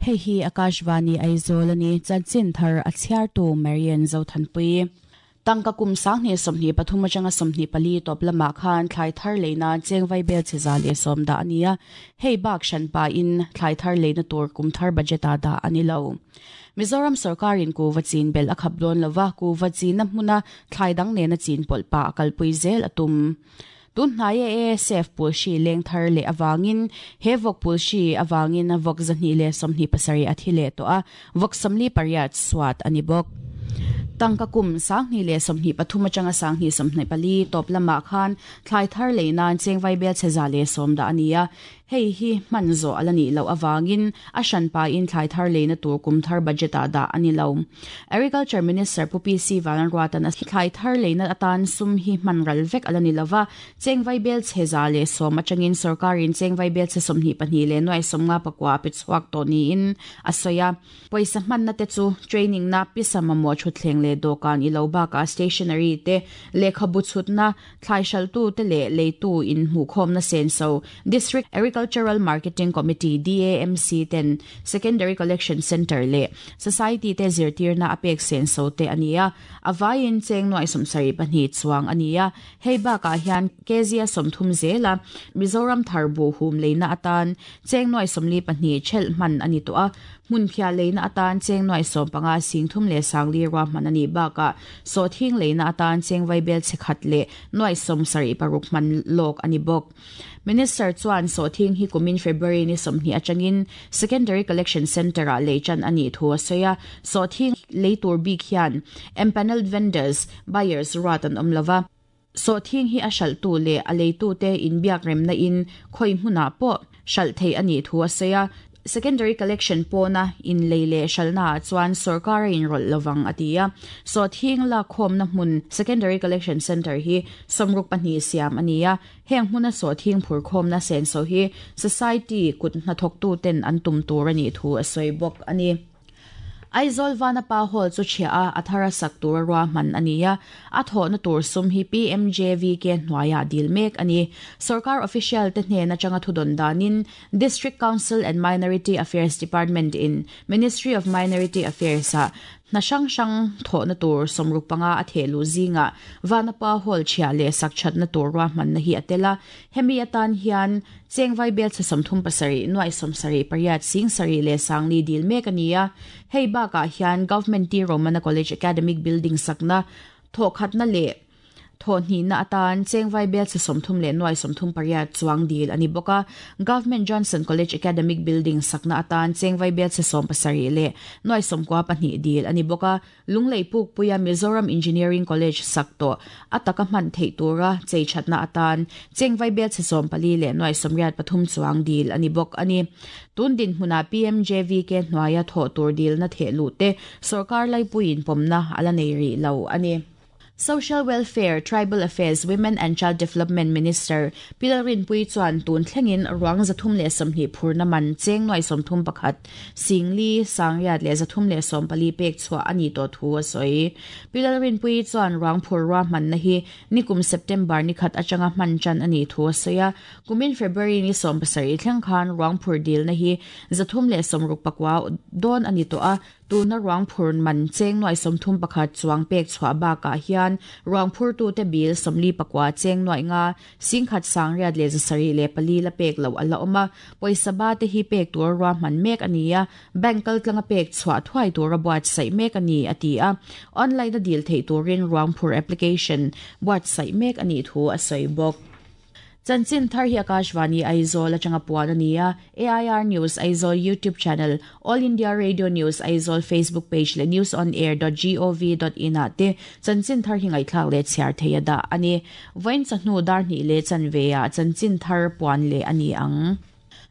Hei hi Akashvani Aizawl a ni, chanchin thar a chhiartu Marian Zothanpui. Tangka kum 2023 atanga 24 tawp lamah khan thlai thar lei nan cheng vaibel chhe 110 dah a ni a, hei bak hranpa in thlai thar leina tur kum thar budget ah dah a ni lo. Mizoram sorkarin kuva chin belh a khap dawn lova, kuva china hmuna thlai dang nena chin pawlh pah a kalpui zel a tum. Tun hnaia ASF pul hri leng thar leh avangin he vawk pul hri avangin vawk 227 a thi leh tawh a, vawk 48 suat a ni bawk. Tangka kum 2023 atanga 2024 tawp lamah khan thlai thar lei nan cheng vaibel chhe 110 dah a ni a, Hei hi hman zawh a la nih loh avangin a hranpa in thlai thar leina tur kum thar budget ah dah a ni lo. Agriculture Minister Pu PC Vanlalruatan a thlai thar leina atan sum hi hman ral vek a la ni lova, cheng vaibel chhe 110 atangin sorkarin cheng vaibel chhe 22 leh nuai 59 a pe chhuak tawh niin a sawi a. Pawisa hmanna te chu training na, pisa mamawh thutthleng leh dawhkan i lo bakah stationery te, lehkhabu chhutna, thlai hralhtu te leh leitu inhmuhkhawmna senso, District Agricultural Marketing Committee, DAMC, ten Secondary Collection Centre leh Society te zirtirna a pek senso te a ni a, a vaiin cheng nuai 72 chuang a ni a. Hei bakah hian kg a 30 zela Mizoram thar buh hum leina atan cheng nuai 42 thelh hman a ni tawh a, hmun phiah leina atan cheng nuai 15 sing thum leh sangli ruahman a nih bakah sawhthing leina atan cheng vaibel chhe khat leh nuai 76 hman lawk a ni bawk. Minister chuan sawhthing hi kumin February ni 20 atangin Secondary Collection Centre ah lei tan a nih thu a sawi a, sawhthing lei tur bik hian empanelled vendors, buyers ruat an awm lova. Sawhthing hi a hralhtu leh a leitute inbiak remna in khawi hmunah pawh hralh theih a nih thu a sawi a, secondary collection pawna inlei leh hralhnaah chuan sorkar a inrawlh lovang a ti a. Sawhthing lakkhawmna hmun secondary collection centre hi 62 siam a ni a, heng hmuna sawhthing phurkhawmna senso hi society kut hnathawktuten an tum tur a nih thu a sawi bawk a ni. Aizawl Vanapa Hall chu chhiah a, a thara sak tura ruahman a ni a, a thawhna tur sum hi PMJVK hnuaiah dil mek a ni. Sorkar official te hnen atanga thudawn danin District Council and Minority Affairs Department in Ministry of Minority Affairs ah hna hrang hrang thawhna tur 65 a theh luh zingah Vanapa Hall chhiah leh sak thatna tur ruahmanna hi a tel a, hemi atan hian Cheng vaibel chhe 37 nuai 78 sing sarih leh sangli dil mek a ni a, hei bakah hian Government T Romana College Academic Building sakna thawhkhatna leh thawhhnihna atan cheng vaibel chhe 30 leh nuai 38 chuang dil a ni bawk a, Government Johnson College Academic Building sakna atan cheng vaibel chhe 70 leh nuai 92 dil a ni bawk a. Lunglei Pukpuia Mizoram Engineering College sak tawh a taka hman theih tura chei thatna atan cheng vaibel chhe 14 leh nuai 83 chuang dil a ni bawk a ni. Tun dinhmunah PMJVK hnuaia thawh tur dilna theh luh te sorkar laipuiin pawmna a la nei rih lo a ni. Social Welfare, Tribal Affairs, Women and Child Development Minister Pi Lalrinpuii chuan tun thlengin ruang 320 phurna man cheng nuai 31 singli sangriat leh 314 pek chhuah a ni tawh thu a sawi. Pi Lalrinpuii chuan ruang phur ruahmanna hi nikum September ni khat atanga hman tan a nih thu a sawi a, kumin February ni 17 thleng khan ruang phur dilna hi 369 dawn a ni tawh a, Tuna ruang phur man cheng nuai 31 chuang pek chhuah bakah hian ruang phurtute bil 49 cheng nuai nga singkhat sangriat leh zasarih leh pali la pek lo a la awm a, pawisa ba te hi pek tur ruahman mek a ni a, bank kaltlanga pek chhuah thuai tura buatsaih mek a ni a ti a, online a dil theih turin ruang phur application buatsaih mek a nih thu a sawi bawk. Chanchin thar hi Akashvani Aizawl atanga puan a ni a, AIR News Aizawl YouTube channel, All India Radio News Aizawl Facebook page leh newsonair.gov.in ah te chanchin thar hi ngaihthlak leh chhiar thei a dah a ni. Vawiin chawhnu dar hnih leh chanve ah chanchin thar puan leh a ni ang.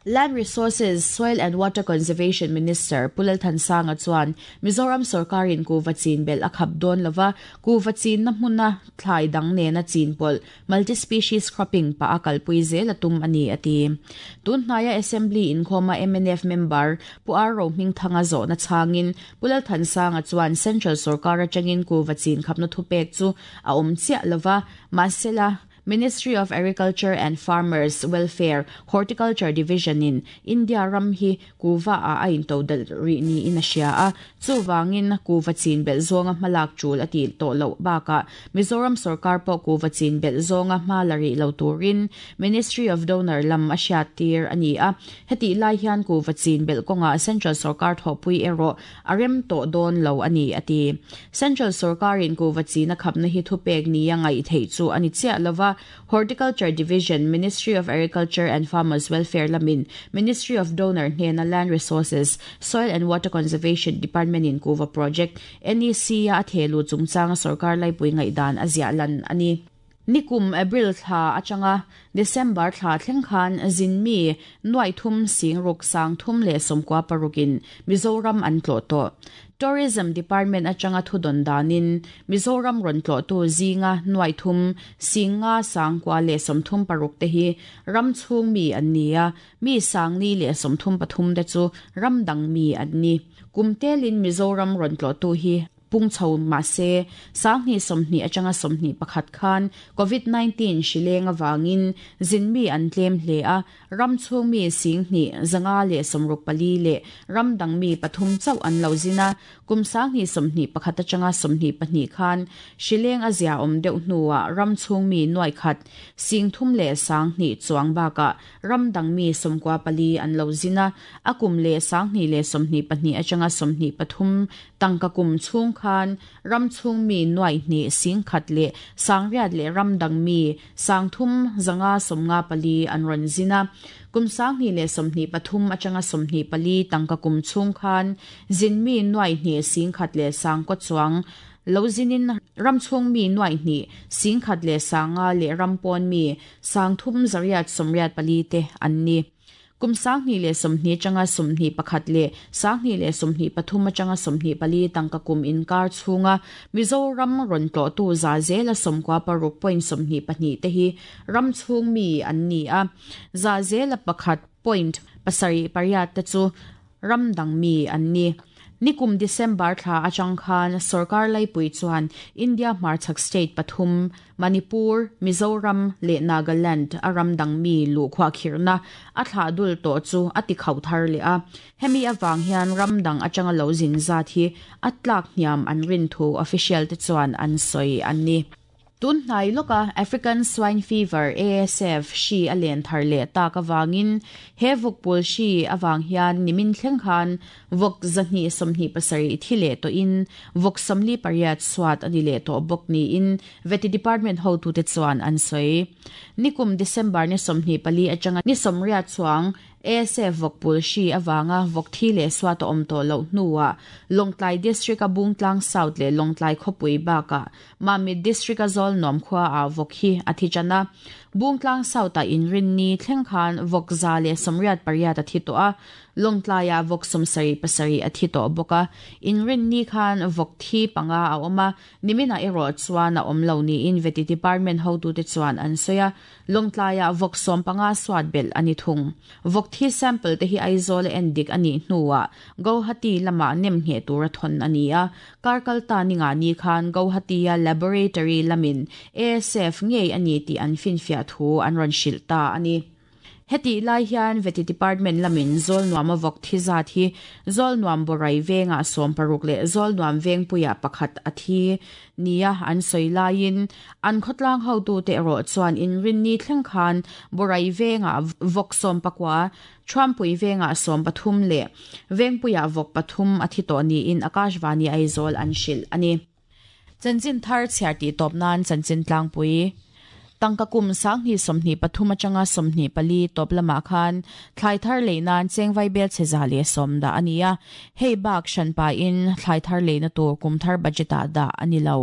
Land Resources, Soil and Water Conservation Minister Pu Lalthansanga chuan Mizoram sorkarin kuhva chin belh a khap dawn lova, kuhva chinna hmuna thlai dang nena chin pawlh, multi-species cropping, pah a kalpui zel a tum a ni, a ti. Tun hnaia Assembly inkhawma mnf member Pu Ar Rohmingthanga zawhna chhangin Pu Lalthansanga chuan Central sorkar atangin kuhva chin khapna thupek chu a awm chiah lova, mahsela, Ministry of Agriculture and Farmers Welfare, Horticulture Division in India ram hi kuhva ah a intodelh rih niin a hria a, chuvangin kuhva chin belh zawnga hmalak tul a tih tawh loh bakah Mizoram sorkar pawh kuhva chin belh zawnga hma la rih lo turin Ministry of Donor lam a hriattir a ni a. Hetih lai hian kuhva chin belh kawngah Central sorkar thawhpui erawh a rem tawh dawn lo a ni, a ti. Central sorkarin kuhva china khapna hi thupek nia ngaih theih chu a ni chiah lo va, Horticulture Division, Ministry of Agriculture and Farmers Welfare lamin Ministry of Donor hnena Land Resources, Soil and Water Conservation Department-in kuhva project, NEC-a a thehluh chungchanga sorkar laipui ngaihdan a ziah lan a ni. Nikum April thla atanga December thla thleng khan zinmi nuaih thum singruk sang thum leh 96 in Mizoram an tlawh tawh. Tourism Department atanga thudawn danin Mizoram rawn tlawhtu zinga nuaih thum singnga sangkua leh 36 te hi ram chhung mi an ni a, mi sangni leh 33 te chu ram dang mi an ni. Kum telin Mizoram rawn tlawhtu hi Pung chho mahse, 2020 atanga 21 khan Covid 19 hri leng avangin zinmi an tlem hle a, ram chhung mi 25 164 leh ram dang mi pathum chauh an lo zin a. Kum 2021 atanga 22 khan hri leng a ziaawm deuh hnuah ram chhung mi nuai khat, 30 leh 2000 chuang bakah ram dang mi 94 an lo zin a. A kum leh 2022 atanga 23 Tangka kum chhung khan ram chhung mi nuaih hnih 10,000 leh 800 leh ram dang mi 300 554 an rawn zin a. Kum 2023 atanga 24 tangka kum chhung khan zin mi nuaih hnih 10,000 leh 9,000 chuang lo zinin ram chhung mi nuaih hnih 10,000 leh 500 leh ram pawn mi 3,884 te an ni. Kum 2020 atanga 21 leh 2023 atanga 24 tangka kum inkar chhunga Mizoram rawn tlawhtu za zela 96 point 22 te hi ram chhung mi an ni a, za zela pakhat point pasarih pariat te chu ram dang mi an ni. Nikum December thla atang khan sorkar laipui chuan India hmarchhak state pathum, Manipur, Mizoram leh Nagaland a ram dang mi luhkhuah khirhna a thlah dul tawh chu a ti khauh thar leh a. Hemi avang hian ram dang atanga lo zin zat hi a tlak hniam an rin thu official te chuan an sawi a ni. Tun hnai lawka African Swine Fever, ASF, hri a len thar leh tak avangin he vawkpawl hri avang hian nimin thleng khan vawk 227 thi leh tawhin vawk 48 suat a ni leh tawh bawk niin Vety Department hotute chuan an sawi. Nikum December ni 24 atanga ni 80 chuang ASF vawkpul hri avanga vawk thi leh suat a awm tawh loh hnuah Lawngtlai District-a Bungtlang South leh Lawngtlai khawpui bakah Mamit District-a Zawlnuam khuaah vawk hi a thi tan a. Bungtlang South-ah inrinni thleng khan vawk 188 a thi tawh a, Lawngtlaiah vawk 77 a thi tawh bawk a. Inrinni khan vawk thi panga a awm a, niminah erawh chuan a awm lo niin Vety Department hotute chuan an sawi a. Lawngtlaiah vawk 15 suat belh a ni thung. Vawk thi sample te hi Aizawl a en dik a nih hnuah Gauhati lamah nem ngheh tura thawn a ni a. Kar kal ta ni ngah ni khan Gauhati-a laboratory lamin ASF ngei a ni tih an finfiah thu an rawn hrilh ta a ni. Hetih lai hian Vety Department lamin Zawlnuama vawk thi zat hi Zawlnuam Borai vengah 60 leh Zawlnuam Vengpuiah pakhat a thi nia an sawi laiin an khawtlang hotute erawh chuan inrinni thleng khan Borai vengah vawk 19, Thuampui vengah 13 leh Vengpuiah vawk pathum a thi tawh niin Akashvani Aizawl an hrilh a ni. Chanchin thar chhiar tih tawp nan chanchin tlangpui. Tangka kum 2023 atanga 24 tawp lamah khan thlai thar lei nan chengvai bel chhe 110 dah a ni a, hei bak hranpa in thlai thar leina tur kum thar budget ah dah a ni lo.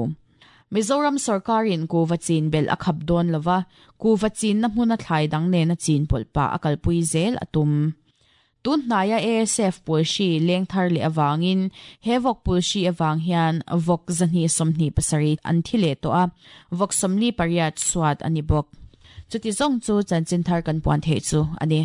Mizoram sawrkarin kuhva chin belh a khap dawn lova, kuhva chinna hmuna thlai dang nena chin pawlh pah a kalpui zel a tum. Tun hnaia ASF pulhri leng thar leh avangin he vawk pulhri avang hian vawk 227 an thi leh tawh a, vawk 48 chhuat a ni bawk. Chuti zawng chu chanchin thar kan puan theih chu a ni.